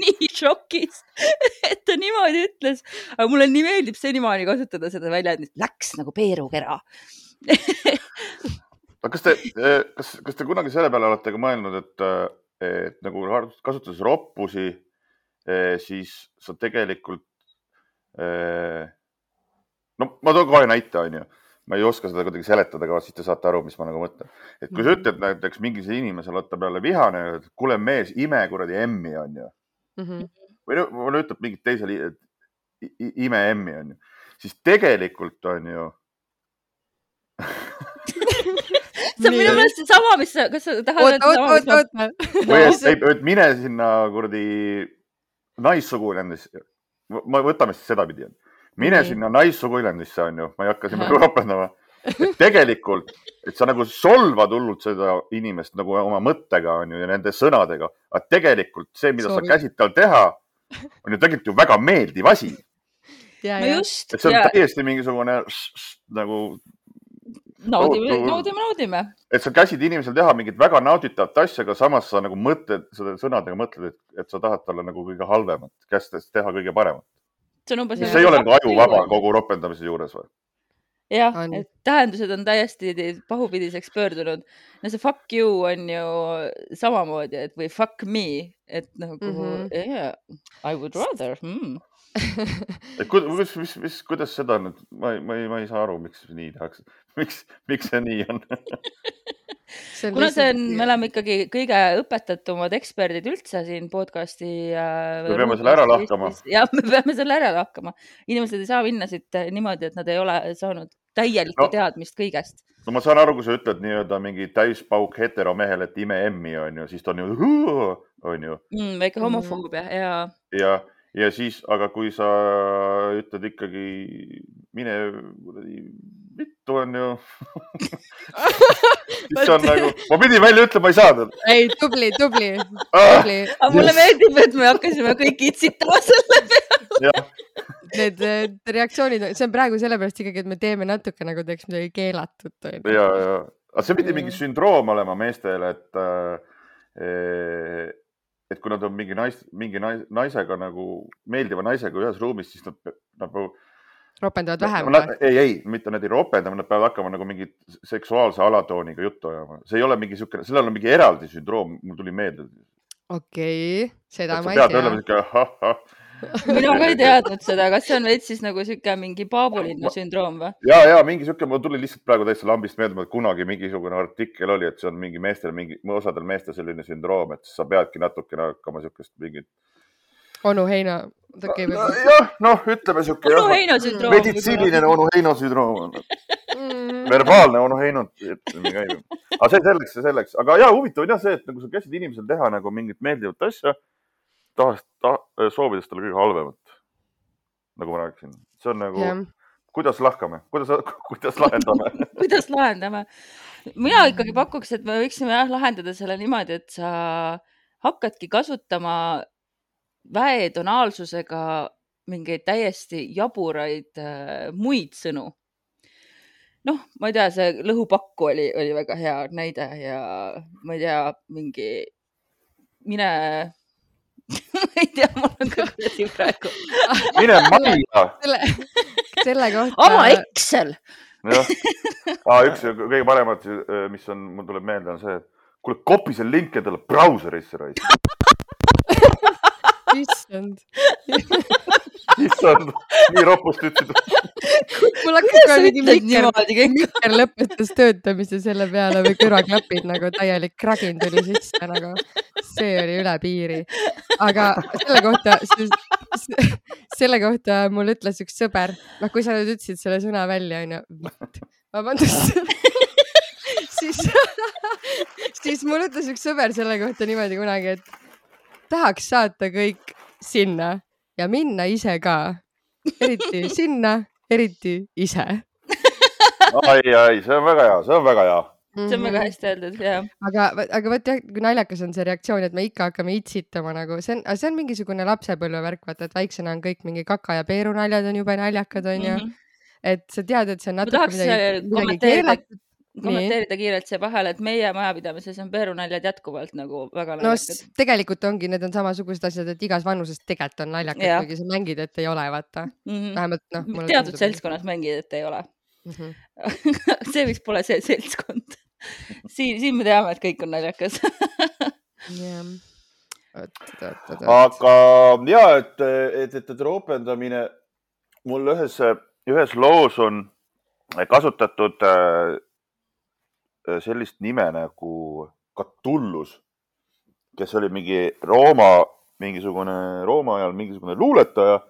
[SPEAKER 1] Nii šokis, et ta niimoodi ütles, aga mulle nii meeldib senimaani kasutada seda väljendit, läks nagu peerukera.
[SPEAKER 3] Kas te kunagi selle peale olete ka mõelnud, et nagu kasutades roppusi, siis sa tegelikult, ma toon kohe näite, on ju. Ma ei oska seda kuidagi seletada, aga siis te saate aru, mis ma nagu mõtlen. Et kui sa ütled näiteks mingi inimesel võtta peale vihane, et kuule mees, ime kuradi emmi on ju. Või ütleb mingit teisele ime emmi on ju. Siis tegelikult on ju.
[SPEAKER 1] See on minu meelest see sama, kas sa tahad
[SPEAKER 2] öelda
[SPEAKER 3] sama? Mine sinna kuradi naissuguülendisse. Võtame siis seda pidi. Mine sinna naissuguülendisse on ju. Ma ei hakka sinna ropendama. Et tegelikult, et sa nagu solvad hullult seda inimest nagu oma mõttega on ju ja nende sõnadega. Aga tegelikult see, mida sa käsid tal teha, on ju tegelikult ju väga meeldiv asi.
[SPEAKER 1] Just,
[SPEAKER 3] et see on täiesti mingisugune nagu
[SPEAKER 1] naudime.
[SPEAKER 3] Et sa käsid inimesel teha mingit väga nauditavat asja, aga samas sa nagu mõtled, seda sõnadega mõtled, et sa tahad talle nagu kõige halvemat, kästes teha kõige paremat. See ei ole nagu ajuvaba kogu ropendamise juures või?
[SPEAKER 1] Jah, et tähendused on täiesti pahupidiseks pöördunud. No see fuck you on ju samamoodi, et või fuck me, et nagu yeah, I would rather.
[SPEAKER 3] Kuidas seda nüüd? Ma ei saa aru, miks nii tehakse. Miks see nii on?
[SPEAKER 1] kuna me oleme ikkagi kõige õpetatumad eksperdid üldse siin podcasti
[SPEAKER 3] me peame selle ära lahkama.
[SPEAKER 1] Ja me peame selle ära lahkama. Inimesed ei saa minna siit niimoodi, et nad ei ole saanud täielikku teadmist kõigest.
[SPEAKER 3] No ma saan aru, kui sa ütled nii-öelda mingi täispauk heteromehel, et ime emmi on ju, siis ta on ju.
[SPEAKER 1] Väike homofoobia,
[SPEAKER 3] ja siis, aga kui sa ütled ikkagi mine vittu on ju, siis on nagu, ma pidin välja ütlema, ma ei saanud.
[SPEAKER 2] Ei, tubli.
[SPEAKER 1] Aga mulle meeldib, et me hakkasime kõik itsitama selle peale.
[SPEAKER 2] Need reaktsioonid, see on praegu sellepärast ikkagi, et me teeme natuke nagu teeks midagi keelatut.
[SPEAKER 3] Ja. Aga see pidi mingi sündroom olema meestele, et kui nad on mingi naisega nagu meeldiva naisega ühes ruumis, siis nad
[SPEAKER 2] ropendavad vähem.
[SPEAKER 3] Ei, mitte nad ei ropenda, nad peavad hakkama nagu mingi seksuaalse alatooniga juttu ajama. See ei ole mingi siukene, sellel on mingi eraldi sündroom, mul tuli meelde.
[SPEAKER 2] Okei, seda ma ei tea.
[SPEAKER 1] Mina ka ei teadnud seda, kas see on veits siis nagu siuke mingi Paabulinna sündroom või?
[SPEAKER 3] Ja, mingi siuke, mul tuli lihtsalt praegu täitsa lambist meeldima, et kunagi mingisugune artikkel oli, et see on mingi osadel meestel selline sündroom, et sa peadki natukene hakkama siukest mingit...
[SPEAKER 2] Onu Heino.
[SPEAKER 3] Ütleme siuke...
[SPEAKER 1] Onu Heino sündroom.
[SPEAKER 3] Meditsiiniline Onu Heino sündroom. Verbaalne Onu Heino. Aga see selleks. Aga huvitav on see, et nagu sa käsid inimesel teha nagu mingit meeldivat asja, soovides talle kõige halvemat, nagu ma rääkisin. See on nagu, kuidas lahkame? Kuidas lahendame?
[SPEAKER 1] Kuidas lahendame? Mina ikkagi pakuks, et me võiksime lahendada selle niimoodi, et sa hakkadki kasutama väetonaalsusega mingeid täiesti jaburaid muid sõnu. Ma ei tea, see lõhupakku oli väga hea näide ja ma ei tea, mingi mine... ma ei tea, mul on ka kuidagi praegu.
[SPEAKER 3] Mine Maria.
[SPEAKER 2] Selle kohta.
[SPEAKER 1] Ama Excel.
[SPEAKER 3] Üks kõige paremat, mis mul tuleb meelde, on see, et kuule, kopi see link endale brauserisse raid.
[SPEAKER 2] Issand,
[SPEAKER 3] nii ropust ütsid.
[SPEAKER 2] Mul hakkas ka mingi Mikker lõpetas töötamise selle peale või kõrvaklapid nagu täielik kragin tuli sisse nagu. See oli üle piiri. Aga selle kohta mul ütles üks sõber, kui sa nüüd ütlesid selle sõna välja, on ju, vabandust, siis mul ütles üks sõber selle kohta niimoodi kunagi, et tahaks saata kõik sinna ja minna ise ka. Eriti sinna, eriti ise.
[SPEAKER 3] Ai, see on väga hea, see on väga hea.
[SPEAKER 1] See on väga hästi öeldud, jah.
[SPEAKER 2] Aga võt jah, kui naljakas on see reaktsioon, et me ikka hakkame itsitama nagu, see on mingisugune lapsepõlvevärk, vaata, et väiksena on kõik mingi kaka ja peeru naljad on jube naljakad, on ju. Et sa tead, et see on natuke midagi keelatud.
[SPEAKER 1] Kommenteerida kiirelt see vahel, et meie majapidamises on peerunaljad jätkuvalt nagu väga naljakad.
[SPEAKER 2] No tegelikult ongi, need on samasugused asjad, et igas vanuses tegelikult on naljakad, kuigi sa mängid, et ei ole, vaata. Vähemalt,
[SPEAKER 1] teatud seltskonnas mängid, et ei ole. See võiks pole see seltskond. Siin me teame, et kõik on naljakas.
[SPEAKER 3] Aga et ropendamine mul ühes loos on kasutatud sellist nime nagu Catullus, kes oli Rooma ajal mingisugune luuletaja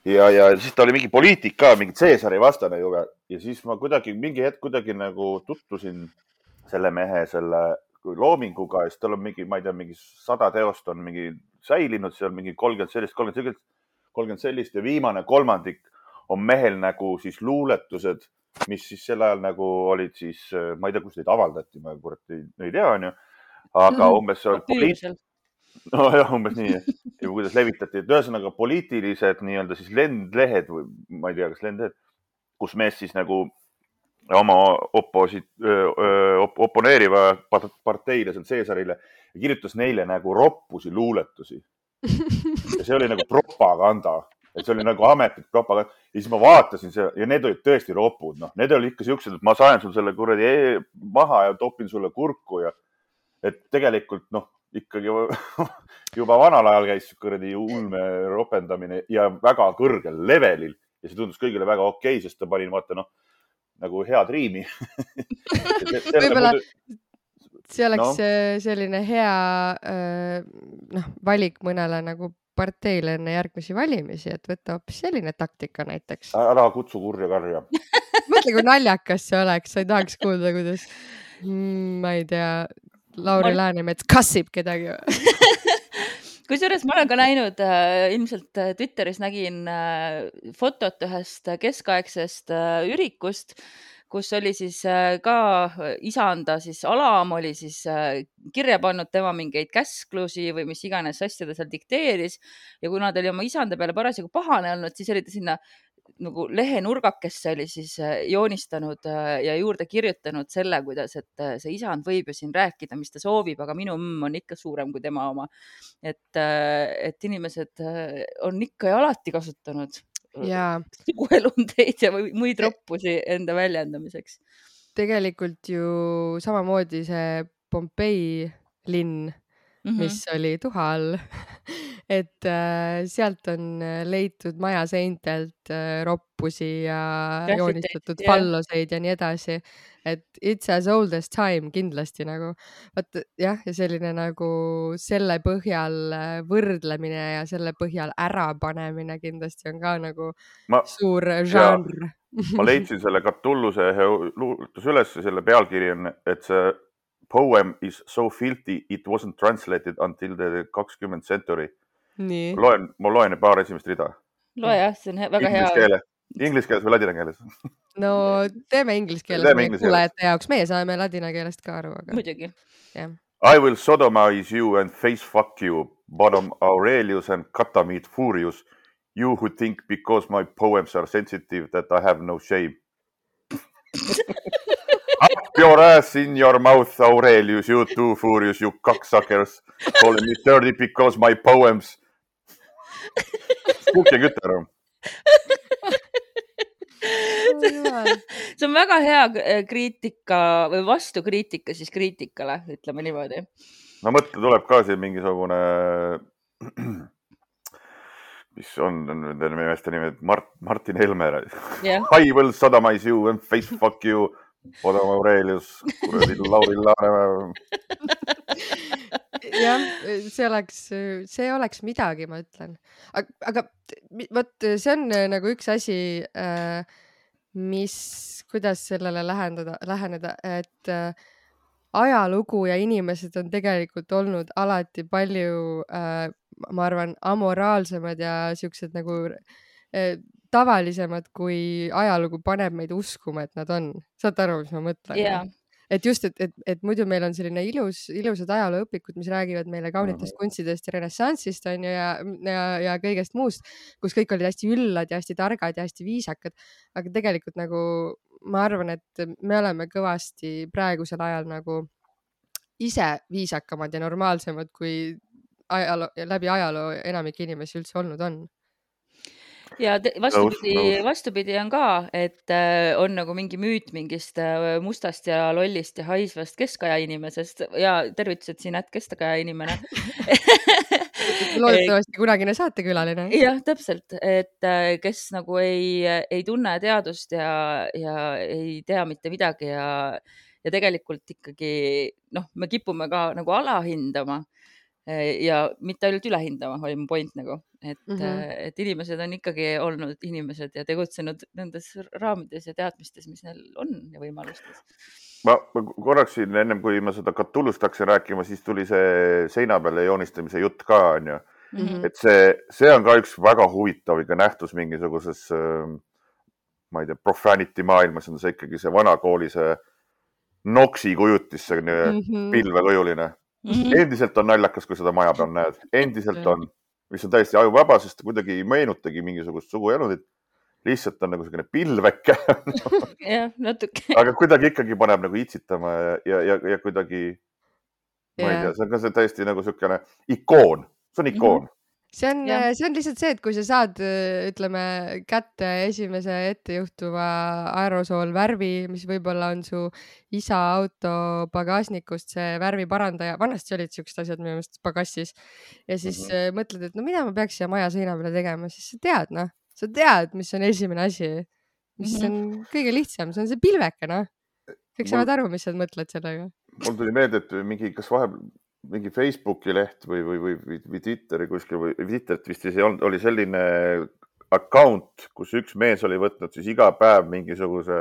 [SPEAKER 3] ja siis ta oli mingi poliitik ka, mingi Caesari vastane juba ja siis ma mingi hetk nagu tutvusin selle mehe loominguga ja siis tal on ma ei tea, mingi 100 teost on säilinud, seal mingi 30 sellist ja viimane kolmandik on mehel nagu siis luuletused, mis siis sel ajal nagu olid siis, ma ei tea, kus neid avaldati, ma ei tea, on ju, aga umbes see oli umbes nii, ja kuidas levitati, et ühesõnaga poliitilised nii-öelda siis lendlehed või ma ei tea, kas lendlehed, kus mees siis nagu oma oponeeriva parteile, Caesarile ja kirjutas neile nagu roppusi luuletusi. Ja see oli nagu propaganda. Et see oli nagu ametlik propaganda. Ja siis ma vaatasin see ja need olid tõesti ropud. Need olid ikka siuksed, et ma saen sul selle kuradi maha ja topin sulle kurku. Ja et tegelikult ikkagi juba vanal ajal käis kuradi ulme ropendamine ja väga kõrgel levelil. Ja see tundus kõigile väga okei, sest ta panin, vaata nagu head riimi .
[SPEAKER 2] Võib-olla see oleks selline hea valik mõnele nagu parteile enne järgmisi valimisi, et võtta hoopis selline taktika näiteks .
[SPEAKER 3] Ära kutsu kurja karja .
[SPEAKER 2] Mõtle, kui naljakas see oleks, sa ei tahaks kuulda, kuidas ma ei tea, Lauri Läänemets kassib kedagi .
[SPEAKER 1] Kusjuures ma olen ka näinud, ilmselt Twitteris nägin fotot ühest keskaegsest ürikust, kus oli siis ka isanda siis Alam oli siis kirja pannud tema mingeid käsklusi või mis iganes asja ta seal dikteeris ja kuna ta oli oma isanda peale parasjagu pahane olnud, siis oli ta sinna nagu lehenurgakesse oli siis joonistanud ja juurde kirjutanud selle, kuidas, et see isand võib ju siin rääkida, mis ta soovib, aga minu on ikka suurem kui tema oma. Et inimesed on ikka ja alati kasutanud suguelundeid ja muid roppusi enda väljendamiseks.
[SPEAKER 2] Tegelikult ju samamoodi see Pompei linn, mis oli tuha all, et sealt on leitud majaseintelt roppusi ja joonistatud falloseid ja nii edasi, et it's as old as time kindlasti nagu. Vaat jah, ja selline nagu selle põhjal võrdlemine ja selle põhjal ärapanemine kindlasti on ka nagu suur žanr.
[SPEAKER 3] Ma leidsin selle Catulluse luuletus üles, selle pealkiri on, et see poem is so filthy it wasn't translated until the 20th century. Ma loen paar esimest rida.
[SPEAKER 1] Loe jah, see on väga hea.
[SPEAKER 3] Inglise keeles või ladina keeles?
[SPEAKER 2] No teeme inglise keeles meie kuulajate jaoks. Meie saame ladina keelest ka aru. Aga...
[SPEAKER 1] Muidugi.
[SPEAKER 2] Yeah.
[SPEAKER 3] I will sodomize you and face fuck you, bottom Aurelius and Catamite furious. You who think because my poems are sensitive that I have no shame. Up your ass in your mouth, Aurelius, you too furious, you cocksuckers. Calling me dirty because my poems. Kukke kütter.
[SPEAKER 1] See on väga hea kriitika või vastukriitika siis kriitikale, ütleme niimoodi.
[SPEAKER 3] No mõtle, tuleb ka siin mingisugune, mis on nende meeste nimed, Martin Helme.
[SPEAKER 1] Yeah.
[SPEAKER 3] I will sodomize you and face fuck you. Odam Aurelius, kuradi Lauri Läänemäe.
[SPEAKER 2] Jah, see oleks midagi, ma ütlen. Aga võt, see on nagu üks asi, kuidas sellele läheneda, et ajalugu ja inimesed on tegelikult olnud alati palju, ma arvan, amoraalsemad ja siuksed nagu tavalisemad, kui ajalugu paneb meid uskuma, et nad on. Saad aru, mis ma mõtlen?
[SPEAKER 1] Yeah.
[SPEAKER 2] Et just, et muidu meil on selline ilusad ajalooõpikud, mis räägivad meile kaunitest kunstidest ja renessanssist on ju, ja kõigest muust, kus kõik olid hästi üllad ja hästi targad ja hästi viisakad. Aga tegelikult nagu ma arvan, et me oleme kõvasti praegusel ajal nagu ise viisakamad ja normaalsemad, kui läbi ajaloo enamik inimesi üldse olnud on.
[SPEAKER 1] Ja vastupidi on ka, et on nagu mingi müüt mingist mustast ja lollist ja haisvast keskaja inimesest ja tervitused siin kestakaja inimene.
[SPEAKER 2] Loodetavasti kunagine saatekülaline.
[SPEAKER 1] Jah, täpselt, et kes nagu ei tunne teadust ja ei tea mitte midagi ja tegelikult ikkagi, me kipume ka nagu alahindama ja mitte ainult ülehindama, oli mu point nagu, et inimesed on ikkagi olnud inimesed ja tegutsenud nendes raamides ja teadmistes, mis neil on ja võimalustes.
[SPEAKER 3] Ma korraks siin ennem, kui ma seda Catullust hakkasin rääkima, siis tuli see seina peale joonistamise jutt ka, on ju. Et see on ka üks väga huvitav nähtus mingisuguses, ma ei tea, profanity maailmas on see ikkagi see vanakooli, see noksi kujutis, see pilvekujuline. Endiselt on naljakas, kui seda maja peal näed. Endiselt on, mis on täiesti ajuvaba, sest kuidagi ei meenutagi mingisugust suguelundit. Lihtsalt on nagu selline pilveke.
[SPEAKER 1] Jah, natuke.
[SPEAKER 3] Aga kuidagi ikkagi paneb nagu itsitama ja kuidagi, ma ei tea, see on ka täiesti nagu selline ikoon. See on ikoon.
[SPEAKER 2] See on lihtsalt see, et kui sa saad, ütleme, kätte esimese ettejuhtuva aerosoolvärvi, mis võib-olla on su isa auto pagasnikust, see värviparandaja, vanasti olid siuksed asjad minu meelest pagassis ja siis mõtled, et no mida ma peaks siia maja seina peale tegema, siis sa tead, mis on esimene asi. mis on kõige lihtsam, see on see pilveke, noh. Kõik saavad aru, mis sa mõtled sellega.
[SPEAKER 3] Mul tuli meelde, et mingi, kas vahepeal mingi Facebooki leht või Twitteri kuskil või Twitterit vist ei olnud, oli selline account, kus üks mees oli võtnud siis iga päev mingisuguse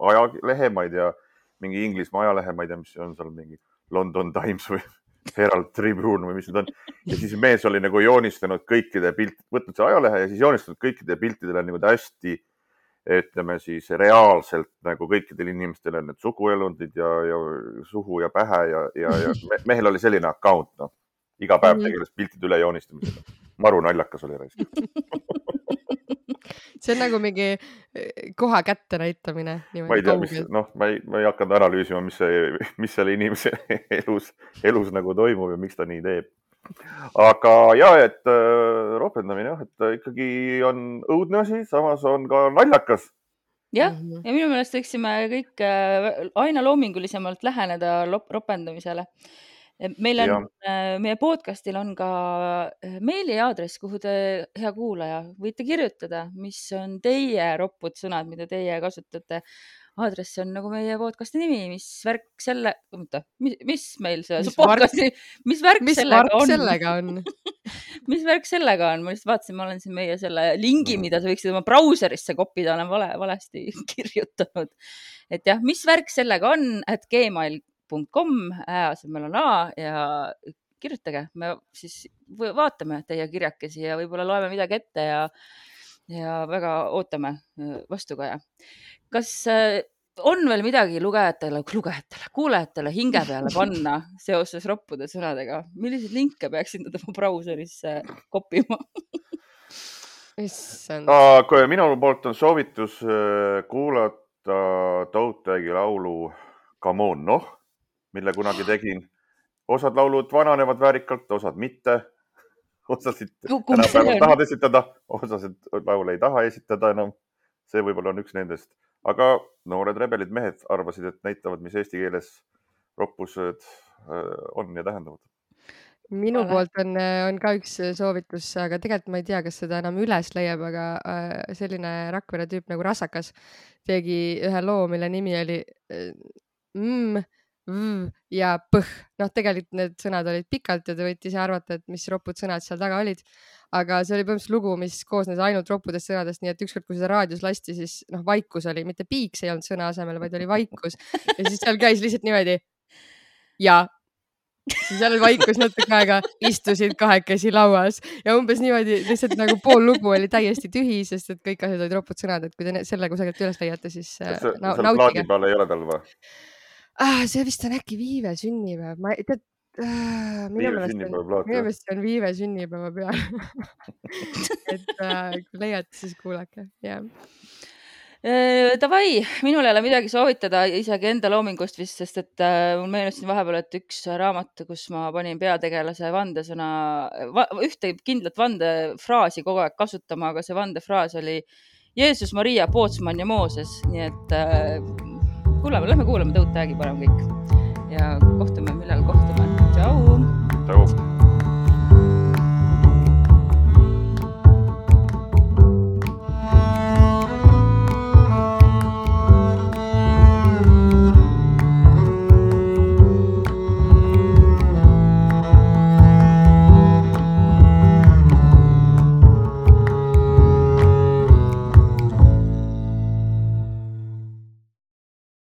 [SPEAKER 3] ajalehe, ma ei tea, mingi Inglismaa ajalehe, ma ei tea, mis on seal mingi London Times või Herald Tribune või mis need on. Ja siis mees oli nagu joonistanud kõikide võtnud see ajalehe ja siis joonistanud kõikide piltidele nagu hästi, ütleme siis reaalselt nagu kõikidel inimestel on need suguelundid ja suhu ja pähe ja mehel oli selline account, noh. Iga päev tegeles piltide üle joonistamisega. Maru naljakas oli reis.
[SPEAKER 2] See on nagu mingi koha kätte näitamine.
[SPEAKER 3] Ma ei tea, ma ei hakanud analüüsima, mis selle inimese elus nagu toimub ja miks ta nii teeb. Aga et ropendamine, et ikkagi on õudne asi, samas on ka naljakas.
[SPEAKER 1] Jah, ja minu meelest võiksime kõik aina loomingulisemalt läheneda ropendamisele. Meie podcastil on ka meiliaadress, kuhu te, hea kuulaja, võite kirjutada, mis on teie roppud sõnad, mida teie kasutate. Aadress on nagu meie podcasti nimi, mis värk sellega on? Mis värk sellega on? Ma just vaatasin, ma olen siin meie selle lingi, mida sa võiksid oma brauserisse kopida, olen valesti kirjutanud. Et jah, mis värk sellega on, @gmail.com, asemel on A ja kirjutage. Me siis vaatame teie kirjakesi ja võib-olla loeme midagi ette ja väga ootame vastukaja. Kas on veel midagi kuulajatele hinge peale panna seoses roppude sõnadega? Milliseid linke peaksid nad oma brauserisse kopima?
[SPEAKER 3] Minu poolt on soovitus kuulata Toadtagi laulu Come on, noh, mille kunagi tegin. Osad laulud vananevad väärikalt, osad mitte. Osasid tänapäeval tahad esitada, osasid laule ei taha esitada enam. See võib-olla on üks nendest. Aga noored rebelid mehed arvasid, et näitavad, mis eesti keeles roppused on ja tähendavad.
[SPEAKER 2] Minu poolt on ka üks soovitus, aga tegelikult ma ei tea, kas seda enam üles leiab, aga selline Rakvere tüüp nagu Rasakas tegi ühe loo, mille nimi oli ja põh. Noh, tegelikult need sõnad olid pikalt ja te võite ise arvata, et mis ropud sõnad seal taga olid. Aga see oli põhimõtteliselt lugu, mis koosnes ainult roppudest sõnadest, nii et ükskord, kui seda raadios lasti, siis vaikus oli, mitte piiks ei olnud sõna asemel, vaid oli vaikus. Ja siis seal käis lihtsalt niimoodi ja siis seal oli vaikus natuke aega, istusid kahekesi lauas ja umbes niimoodi lihtsalt nagu pool lugu oli täiesti tühi, sest et kõik asjad olid ropud sõnad, et kui te selle kusagilt üles leiate, siis
[SPEAKER 3] nautige. Plaadi peal ei ole tal või?
[SPEAKER 2] See vist on äkki Viive sünnipäev. Minu meelest on Viive sünnipäeva peal. Et kui leiate, siis kuulake.
[SPEAKER 1] Davai, minul ei ole midagi soovitada isegi enda loomingust vist, sest et mul meenus siin vahepeal, et üks raamat, kus ma panin peategelase vandesõna, ühte kindlat vandefraasi kogu aeg kasutama, aga see vandefraas oli Jeesus, Maria, Pootsman ja Mooses. Nii et lähme kuulame Toadtagi parem kõik ja kohtume millal kohta.